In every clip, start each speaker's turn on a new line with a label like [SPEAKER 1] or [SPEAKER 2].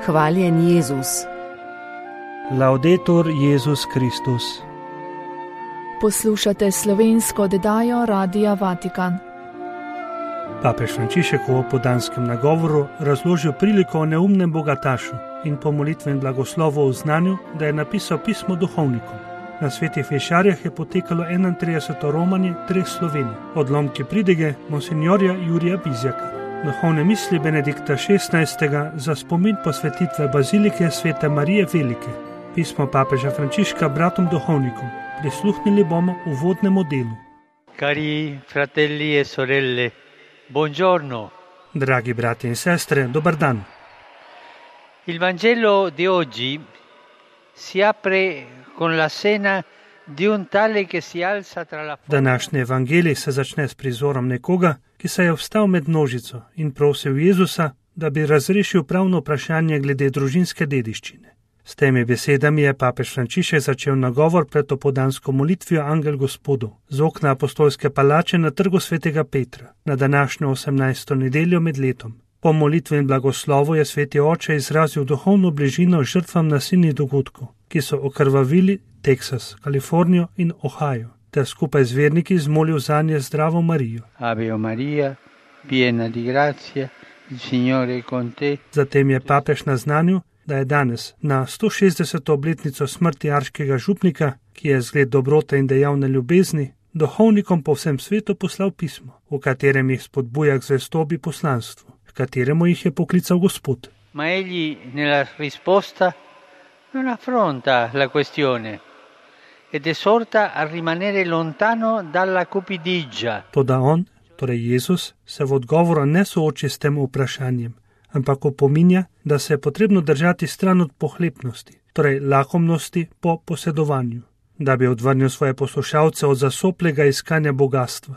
[SPEAKER 1] Hvaljen Jezus.
[SPEAKER 2] Laudetur Jezus Kristus.
[SPEAKER 3] Poslušate slovensko oddajo Radia Vatikan.
[SPEAKER 2] Papež Frančišek v opoldanskem nagovoru razložil priliko o neumnem bogatašu in po molitvenem blagoslovu o znanju, da je napisal pismo duhovnikom. Na Svetih Fešarjah je potekalo 31. romanje treh Slovenij, odlomki pridige monsinjorja Jurija Bizjaka. Duhovne misli Benedikta XVI. Za spomin posvetitve bazilike Svete Marije Velike. Pismo papeža Frančiška bratom duhovnikom. Prisluhnili bomo uvodnemu delu.
[SPEAKER 4] Cari fratelli e sorelle, buongiorno.
[SPEAKER 2] Dragi brati in sestre, dobar dan.
[SPEAKER 4] Il Vangelo di oggi si apre con la scena di un tale che si alza tra la folla.
[SPEAKER 2] Današnji evangelij se začne s prizorom nekoga, ki se je vstal med množico in prosil Jezusa, da bi razrešil pravno vprašanje glede družinske dediščine. S temi besedami je papež Frančišek začel nagovor pred opoldansko molitvijo Angel Gospodov z okna apostolske palače na trgu svetega Petra na današnjo 18. nedeljo med letom. Po molitvi in blagoslovu je sveti oče izrazil duhovno bližino žrtvam nasilnih dogodkov, ki so okrvavili Teksas, Kalifornijo in Ohio, ter skupaj z verniki zmolil zanje zdravo Marijo.
[SPEAKER 4] Ave Maria, piena di grazia, il Signore è con te.
[SPEAKER 2] Zatem je papež naznanil, da je danes na 160. obletnico smrti arškega župnika, ki je zgled dobrote in dejavne ljubezni, duhovnikom po vsem svetu poslal pismo, v katerem jih spodbuja k zvestobi poslanstvu, v kateremu jih je poklical Gospod.
[SPEAKER 4] Ma egli nella risposta non affronta la questione ed esorta a rimanere lontano dalla cupidigia.
[SPEAKER 2] Toda on, torej Jezus, se v odgovoru ne sooči s tem vprašanjem, ampak opominja, da se je potrebno držati stran od pohlepnosti, torej lakomnosti po posedovanju. Da bi odvrnil svoje poslušalce od zasoplega iskanja bogatstva,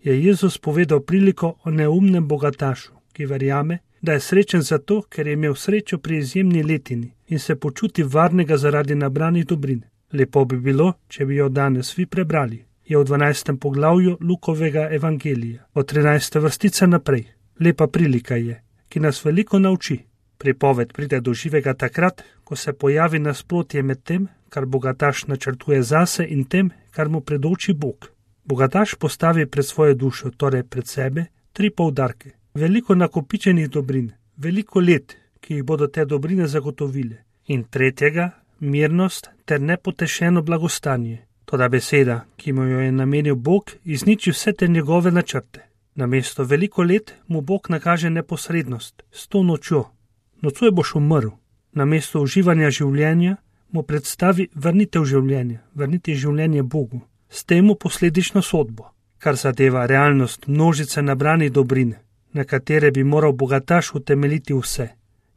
[SPEAKER 2] je Jezus povedal priliko o neumnem bogatašu, ki verjame, da je srečen zato, ker je imel srečo pri izjemni letini in se počuti varnega zaradi nabranih dobrin. Lepo bi bilo, če bi jo danes vi prebrali. Je v 12. poglavju Lukovega evangelija, od 13. vrstice naprej. Lepa prilika je, ki nas veliko nauči. Pripoved pride do živega takrat, ko se pojavi nasprotje med tem, kar bogataš načrtuje zase in tem, kar mu predoči Bog. Bogataš postavi pred svojo dušo, torej pred sebe, tri poudarke. Veliko nakopičenih dobrin, veliko let, ki jih bodo te dobrine zagotovile. In tretjega, mirnost ter nepotešeno blagostanje. Toda beseda, ki mu jo je namenil Bog, izniči vse te njegove načrte. Namesto veliko let mu Bog nakaže neposrednost, s to nočjo. Nocoj boš umrl. Namesto uživanja življenja mu predstavi vrnitev življenja, vrniti življenje Bogu. S tem mu posledično sodbo, kar zadeva realnost množice nabranih dobrin, na katere bi moral bogataš utemeljiti vse,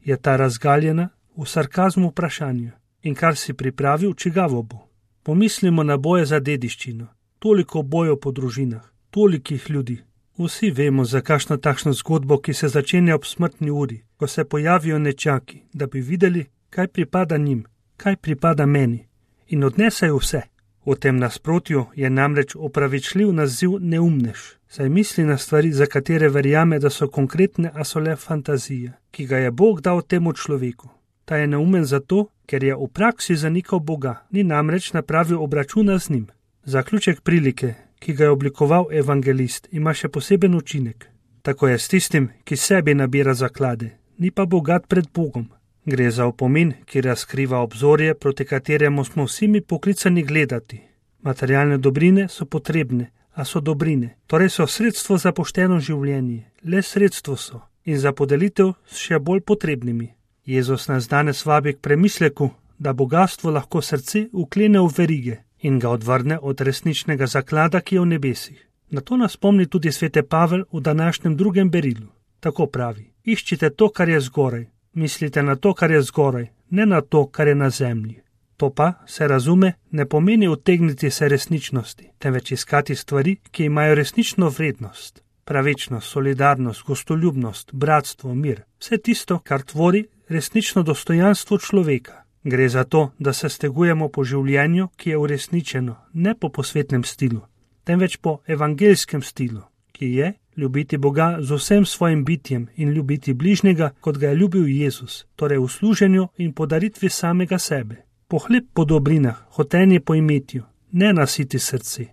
[SPEAKER 2] je ta razgaljena v sarkazmu vprašanja. In kar si pripravil, čigavo bo. Pomislimo na boje za dediščino, toliko bojev po družinah, tolikih ljudi. Vsi vemo za kakšno takšno zgodbo, ki se začenja ob smrtni uri, ko se pojavijo nečaki, da bi videli, kaj pripada njim, kaj pripada meni, in odnesejo vse. V tem nasprotju je namreč opravičljiv naziv neumnež, saj misli na stvari, za katere verjame, da so konkretne, a so le fantazije, ki ga je Bog dal temu človeku. Ta je neumen zato, ker je v praksi zanikal Boga, ni namreč napravil obračuna z njim. Zaključek prilike, ki ga je oblikoval evangelist, ima še poseben učinek. Tako je s tistim, ki sebi nabira zaklade, ni pa bogat pred Bogom. Gre za opomin, ki razkriva obzorje, proti kateremu smo vsi mi poklicani gledati. Materialne dobrine so potrebne, a so dobrine, torej so sredstvo za pošteno življenje, le sredstvo so in za podelitev s še bolj potrebnimi. Jezus nas danes vabi k premisleku, da bogatstvo lahko srce uklene v verige in ga odvrne od resničnega zaklada, ki je v nebesih. Na to nas spomni tudi svete Pavel v današnjem 2. berilu. Tako pravi: iščite to, kar je zgoraj, mislite na to, kar je zgoraj, ne na to, kar je na zemlji. To pa, se razume, ne pomeni utegniti se resničnosti, temveč iskati stvari, ki imajo resnično vrednost. Pravičnost, solidarnost, gostoljubnost, bratstvo, mir, vse tisto, kar tvori resnično dostojanstvo človeka. Gre za to, da se stegujemo po življenju, ki je uresničeno, ne po posvetnem stilu, temveč po evangelskem stilu, ki je ljubiti Boga z vsem svojim bitjem in ljubiti bližnjega, kot ga je ljubil Jezus, torej v služenju in podaritvi samega sebe. Pohlep po dobrinah, hotenje po imetju, ne nasiti srce.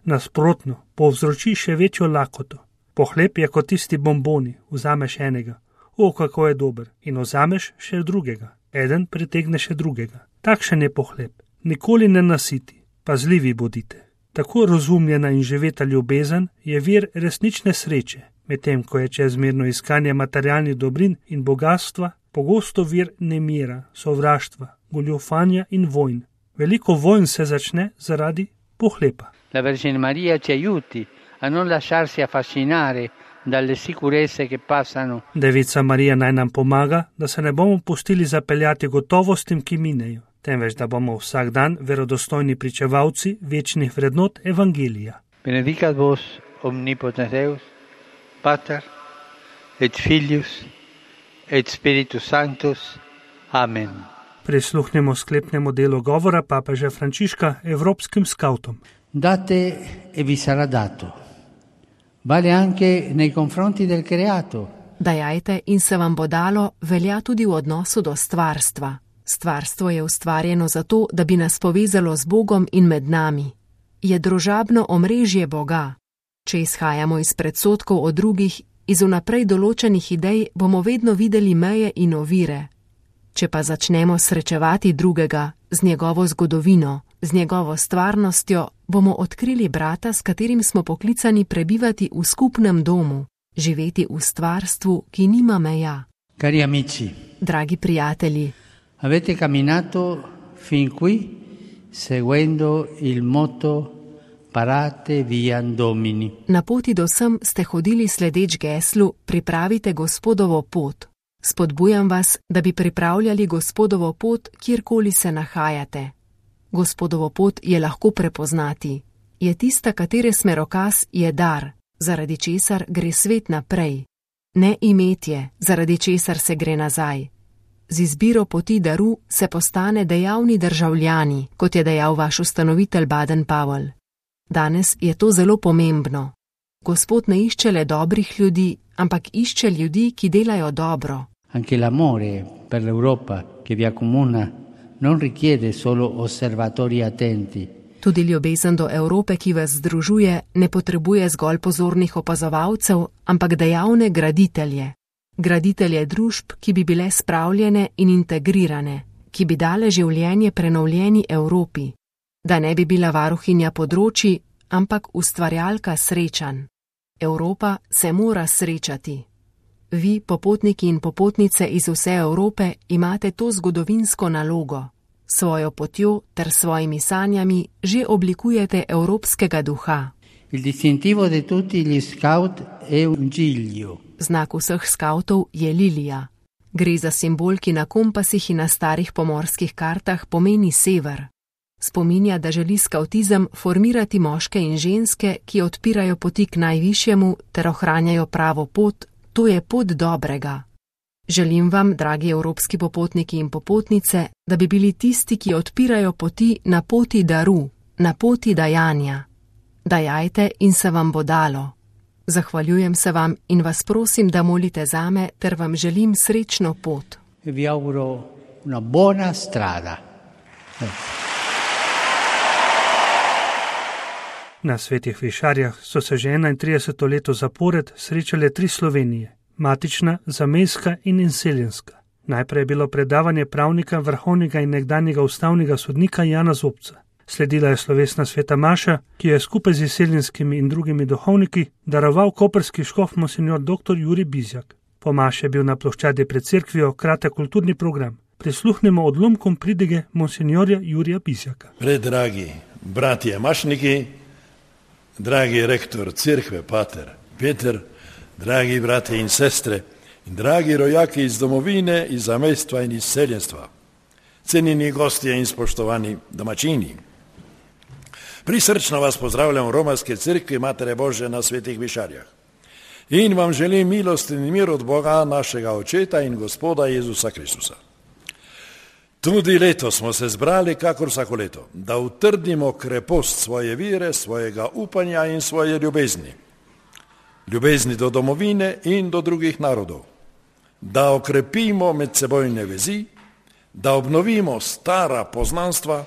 [SPEAKER 2] Nasprotno, povzroči še večjo lakoto. Pohlep je kot tisti bomboni, vzameš enega, o, kako je dober, in vzameš še drugega, eden pritegne še drugega. Takšen je pohlep, nikoli ne nasiti, pazljivi bodite. Tako razumljena in živeta ljubezen je vir resnične sreče, medtem ko je čezmerno iskanje materialnih dobrin in bogatstva pogosto vir nemira, sovraštva, goljufanja in vojn. Veliko vojn se začne zaradi pohlepa.
[SPEAKER 4] La Vergine Maria ci aiuti a non lasciarsi affascinare dalle sicurezze che passano.
[SPEAKER 2] Devica Marija naj nam pomaga, da se ne bomo pustili zapeljati gotovostim, ki minejo, temveč da bomo vsak dan verodostojni pričevalci večnih vrednot Evangelija.
[SPEAKER 4] Benedicat vos omnipotens Deus, Pater et Filius et Spiritus Sanctus. Amen.
[SPEAKER 2] Prisluhnemo sklepnemu delu govora papeža Frančiška evropskim skavtom.
[SPEAKER 1] Date e vi sarà dato. Vale anche nei confronti del creato.
[SPEAKER 3] Dajajte in se vam bo dalo velja tudi v odnosu do stvarstva. Stvarstvo je ustvarjeno zato, da bi nas povezalo z Bogom in med nami. Je družabno omrežje Boga. Če izhajamo iz predsodkov o drugih, iz vnaprej določenih idej, bomo vedno videli meje in ovire. Če pa začnemo srečevati drugega z njegovo zgodovino, z njegovo stvarnostjo, bomo odkrili brata, s katerim smo poklicani prebivati v skupnem domu, živeti v stvarstvu, ki nima meja.
[SPEAKER 1] Cari amici,
[SPEAKER 3] Dragi prijatelji,
[SPEAKER 1] avete camminato fin qui seguendo il motto Parate viam Domini.
[SPEAKER 3] na poti do sem ste hodili sledeč geslu Pripravite Gospodovo pot. Spodbujam vas, da bi pripravljali Gospodovo pot, kjerkoli se nahajate. Gospodovo pot je lahko prepoznati. Je tista, katere smerokaz je dar, zaradi česar gre svet naprej. Ne imetje, zaradi česar se gre nazaj. Z izbiro poti daru se postane dejavni državljani, kot je dejal vaš ustanovitelj Baden-Powell. Danes je to zelo pomembno. Gospod ne išče le dobrih ljudi, ampak išče ljudi, ki delajo dobro.
[SPEAKER 1] Anche l'amore per l'Europa che vi accomuna non richiede solo osservatori attenti.
[SPEAKER 3] Tudi ljubezen do Evrope, ki vas združuje, ne potrebuje zgolj pozornih opazovalcev, ampak dejavne graditelje. Graditelje družb, ki bi bile spravljene in integrirane, ki bi dale življenje prenovljeni Evropi. Da ne bi bila varuhinja področji, ampak ustvarjalka srečanj. Evropa se mora srečati. Vi, popotniki in popotnice iz vse Evrope, imate to zgodovinsko nalogo. Svojo potjo ter svojimi sanjami že oblikujete evropskega duha.
[SPEAKER 1] Il distintivo di tutti gli scout è un giglio.
[SPEAKER 3] Znak vseh skavtov je lilija. Gre za simbol, ki na kompasih in na starih pomorskih kartah pomeni sever. Spominja, da želi skavtizem formirati moške in ženske, ki odpirajo poti k najvišjemu ter ohranjajo pravo pot, to je pot dobrega. Želim vam, dragi evropski popotniki in popotnice, da bi bili tisti, ki odpirajo poti na poti daru, na poti dajanja. Dajajte in se vam bo dalo. Zahvaljujem se vam in vas prosim, da molite zame, ter vam želim srečno pot.
[SPEAKER 1] E vi auguro una buona strada.
[SPEAKER 2] Na Svetih Višarjah so se že 31. leto zapored srečale 3 Slovenije, matična, zamejska in inseljenska. Najprej je bilo predavanje pravnika, vrhovnega in nekdanjega ustavnega sodnika Jana Zobca. Sledila je slovesna sveta maša, ki jo je skupaj z izseljenskimi in drugimi duhovniki daroval koprski škof monsignor dr. Jurij Bizjak. Po maši je bil na ploščadi pred cerkvijo kratek kulturni program. Prisluhnemo odlomkom pridige monsignorja Jurija Bizjaka.
[SPEAKER 5] Predragi bratje mašniki, dragi rektor cerkve pater Peter, dragi brate in sestre in dragi rojaki iz domovine, iz zamejstva in izseljenstva, cenjeni gostje in spoštovani domačini. Prisrčno vas pozdravljam v romarske cerkvi Matere Božje na Svetih Višarjah in vam želim milost in mir od Boga našega Očeta in Gospoda Jezusa Kristusa. Tudi letos smo se zbrali, kakor vsako leto, da utrdimo krepost svoje vire, svojega upanja in svoje ljubezni. ljubezni do domovine in do drugih narodov, da okrepimo medsebojne vezi, da obnovimo stara poznanstva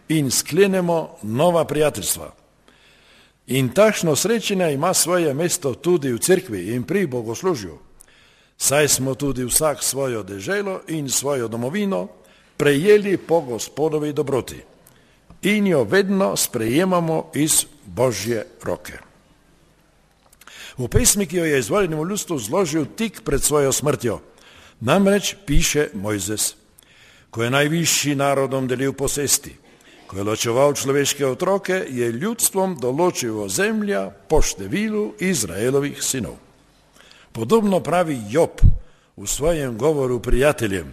[SPEAKER 5] in sklenemo nova prijateljstva. In takšno srečanje ima svoje mesto tudi v cerkvi in pri bogoslužju, saj smo tudi vsak svojo deželo in svojo domovino prejeli po Gospodovi dobroti in jo vedno sprejemamo iz Božje roke. V pesmi, ki jo je izvoljenemu ljudstvu zložil tik pred svojo smrtjo, namreč piše Mojzes: ko je najvišji narodom delil posesti, ko je ločeval človeške otroke, je ljudstvom določil ozemlja po številu Izraelovih sinov. Podobno pravi Job v svojem govoru prijateljem,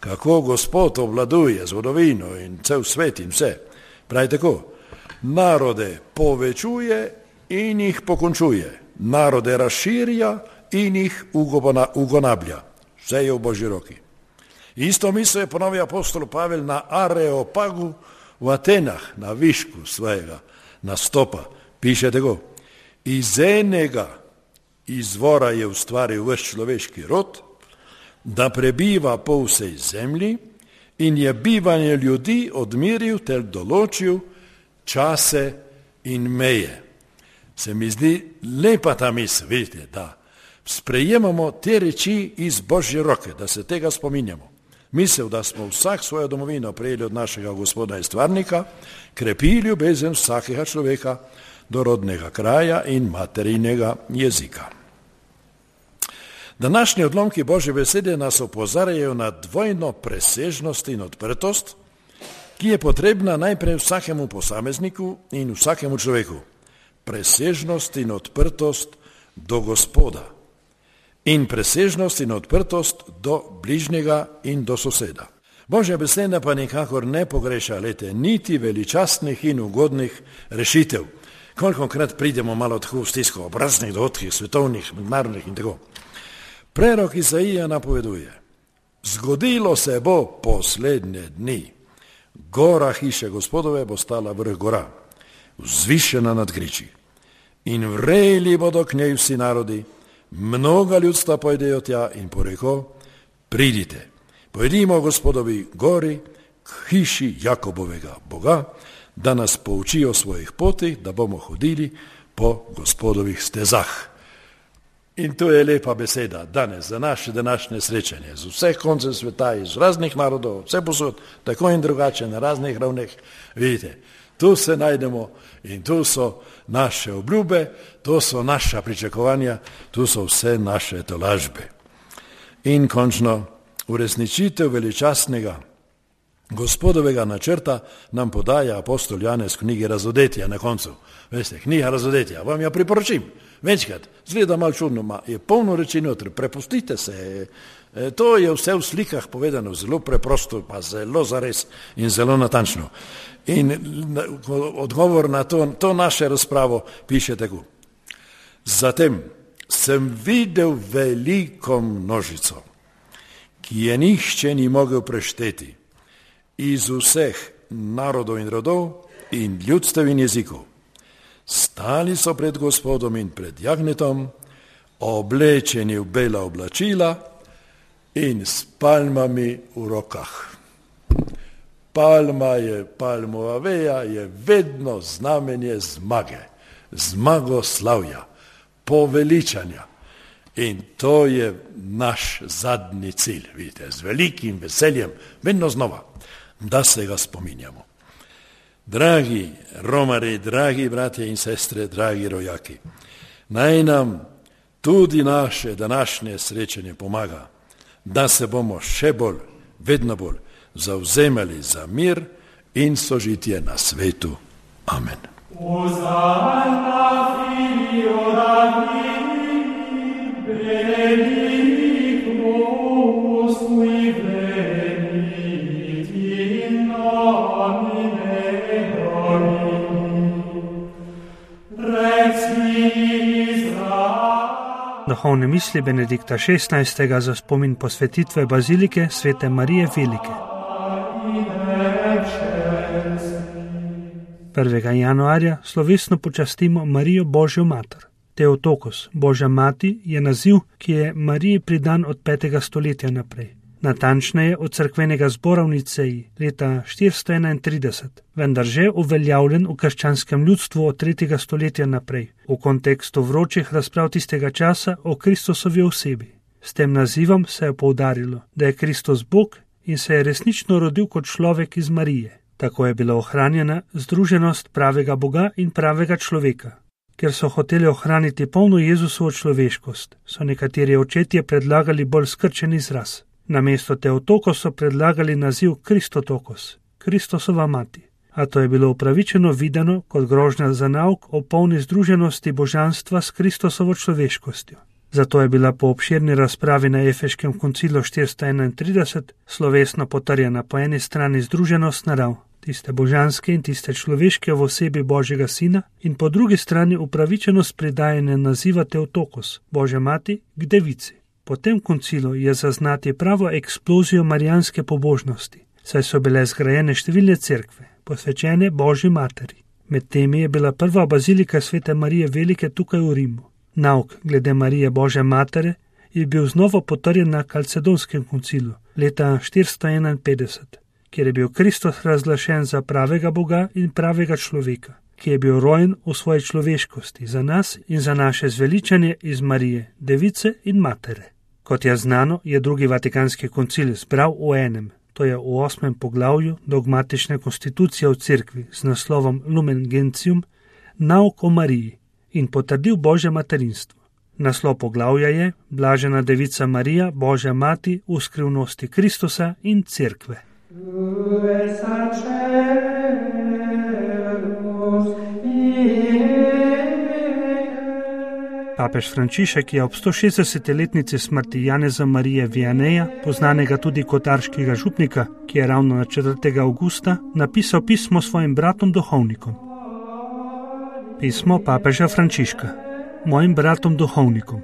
[SPEAKER 5] kako Gospod obvladuje zgodovino in cel svet in vse. Pravi tako: narode povečuje in jih pokončuje, narode razširja in jih ugonablja. Vse je v Božji roki. Isto misel je ponovil apostol Pavel na Areopagu v Atenah, na višku svojega nastopa. Piše tako: iz enega izvora je ustvaril ves človeški rod, da prebiva po vsej zemlji in je bivanje ljudi odmiril ter določil čase in meje. Se mi zdi lepa ta misel, vidite, da sprejemamo te reči iz Božje roke, da se tega spominjamo. Misel, da smo vsak svojo domovino prejeli od našega Gospoda in stvarnika, krepi ljubezen vsakega človeka do rodnega kraja in materinega jezika. Današnji odlomki Božje besede nas opozarjajo na dvojno presežnost in odprtost, ki je potrebna najprej vsakemu posamezniku in vsakemu človeku. Presežnost in odprtost do Gospoda in presežnost in odprtost do bližnjega in do soseda. Božja beseda pa nikakor ne pogreša niti veličastnih in ugodnih rešitev. Kolikokrat pridemo malo tako v stisko ob raznih dogodkih, svetovnih, mednarodnih in tako. Prerok Izaija napoveduje: zgodilo se bo poslednje dni. Gora hiše Gospodove bo stala vrh gora, vzvišena nad griči. In vreli bodo k njej vsi narodi, mnoga ljudstva pojdejo tja in poreko: pridite, pojdimo Gospodovi gori, k hiši Jakobovega Boga, da nas pouči o svojih potih, da bomo hodili po Gospodovih stezah. In to je lepa beseda danes za naše današnje srečanje z vseh koncev sveta, iz raznih narodov, vse posod, tako in drugače, na raznih ravneh. Vidite, tu se najdemo in tu so naše obljube, tu so naša pričakovanja, tu so vse naše tolažbe. In končno, uresničitev veličastnega Gospodovega načrta nam podaja apostol Janez v knjigi Razodetja na koncu. Veste, knjiga Razodetja, vam jo priporočim. Večkrat, zgleda malo čudno, je polno reči notri, prepustite se. To je vse v slikah povedano, zelo preprosto, pa zelo zares in zelo natančno. In odgovor na to naše razpravo piše tako: zatem sem videl veliko množico, ki je nihče ni mogel prešteti, iz vseh narodov in rodov in ljudstev in jezikov. Stali so pred Gospodom in pred jagnetom, oblečeni v bela oblačila in s palmami v rokah. Palmova veja je vedno znamenje zmage, zmagoslavja, poveličanja. In to je naš zadnji cilj, vidite, z velikim veseljem, vedno znova, da se ga spominjamo. Dragi romari, dragi bratje in sestre, dragi rojaki, naj nam tudi naše današnje srečanje pomaga, da se bomo še bolj, vedno bolj zavzemali za mir in sožitje na svetu. Amen.
[SPEAKER 2] Duhovne misli Benedikta XVI. Za spomin posvetitve bazilike Svete Marije Velike. 1. januarja slovesno počastimo Marijo Božjo mater. Teotokos, Božja mati, je naziv, ki je Mariji pridan od 5. stoletja naprej. Natančneje od cerkvenega zbora v Niceji leta 431, vendar že uveljavljen v krščanskem ljudstvu od 3. stoletja naprej, v kontekstu vročih razprav tistega časa o Kristusovi osebi. S tem nazivom se je poudarilo, da je Kristus Bog in se je resnično rodil kot človek iz Marije. Tako je bila ohranjena združenost pravega Boga in pravega človeka. Ker so hoteli ohraniti polno Jezusovo človeškost, so nekateri očetje predlagali bolj skrčen izraz. Namesto Teotokos so predlagali naziv Kristotokos, Kristusova mati. A to je bilo upravičeno videno kot grožnja za nauk o polni združenosti božanstva s Kristusovo človeškostjo. Zato je bila po obširni razpravi na Efeškem koncilu 431 slovesno potrjena po eni strani združenost narav, tiste božanske in tiste človeške v osebi Božjega Sina, in po drugi strani upravičenost pridajanja naziva Teotokos, Božja mati, k devici. Po tem koncilu je zaznati pravo eksplozijo marijanske pobožnosti, saj so bile zgrajene številne cerkve, posvečene Božji materi. Med temi je bila prva bazilika Svete Marije Velike tukaj v Rimu. Nauk glede Marije Božje matere je bil znova potrjen na Kalcedonskem koncilu leta 451, kjer je bil Kristus razglašen za pravega Boga in pravega človeka, ki je bil rojen v svoji človeškosti za nas in za naše zveličanje iz Marije, device in matere. Kot je znano, je drugi Vatikanski koncil zbral v enem, to je v 8. poglavju dogmatične konstitucije v cerkvi z naslovom Lumen Gentium, nauk o Mariji in potrdil Božje materinstvo. Naslov poglavja je Blažena devica Marija, Božja mati v skrivnosti Kristusa in cerkve. Papež Frančišek je ob 160-letnici smrti Janeza Marije Vianeja, poznanega tudi kot arškega župnika, ki je ravno na 4. avgusta napisal pismo svojim bratom duhovnikom. Pismo papeža Frančiška. Mojim bratom duhovnikom.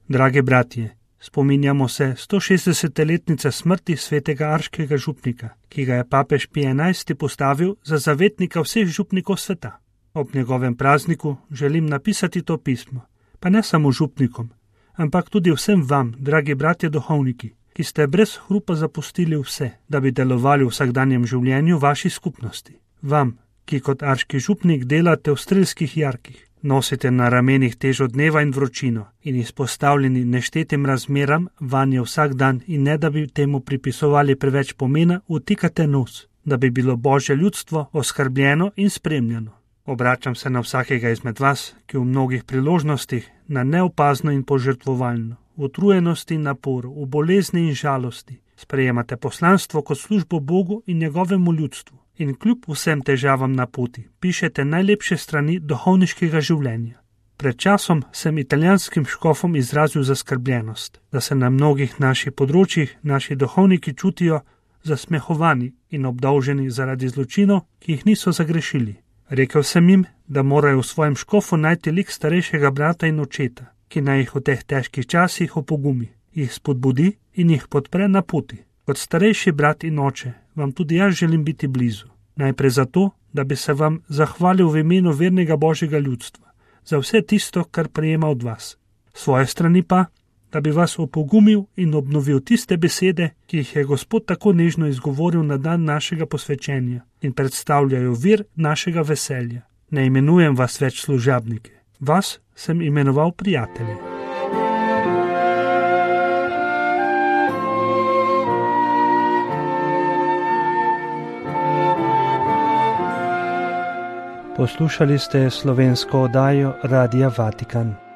[SPEAKER 2] Dragi bratje, spominjamo se 160-letnice smrti svetega arškega župnika, ki ga je papež Pij XI postavil za zavetnika vseh župnikov sveta. Ob njegovem prazniku želim napisati to pismo, pa ne samo župnikom, ampak tudi vsem vam, dragi bratje duhovniki, ki ste brez hrupa zapustili vse, da bi delovali v vsakdanjem življenju vaši skupnosti. Vam, ki kot arški župnik delate v strelskih jarkih, nosite na ramenih težo dneva in vročino in izpostavljeni neštetim razmeram vanje vsak dan in ne da bi temu pripisovali preveč pomena, vtikate nos, da bi bilo Božje ljudstvo oskrbljeno in spremljeno. Obračam se na vsakega izmed vas, ki v mnogih priložnostih, na neopazno in požrtvovalno, v utrujenosti in naporu, v bolezni in žalosti, sprejemate poslanstvo kot službo Bogu in njegovemu ljudstvu in kljub vsem težavam na poti pišete najlepše strani duhovniškega življenja. Pred časom sem italijanskim škofom izrazil zaskrbljenost, da se na mnogih naših področjih naši duhovniki čutijo zasmehovani in obdolženi zaradi zločinov, ki jih niso zagrešili. Rekel sem jim, da morajo v svojem škofu najti lik starejšega brata in očeta, ki naj jih v teh težkih časih opogumi, jih spodbudi in jih podpre na poti. Kot starejši brat in oče vam tudi jaz želim biti blizu. Najprej zato, da bi se vam zahvalil v imenu vernega Božjega ljudstva za vse tisto, kar prejema od vas. Svoje strani pa, da bi vas opogumil in obnovil tiste besede, ki jih je Gospod tako nežno izgovoril na dan našega posvečenja in predstavljajo vir našega veselja. Ne imenujem vas več služabnike, vas sem imenoval prijatelji.
[SPEAKER 6] Poslušali ste slovensko oddajo Radia Vatikan.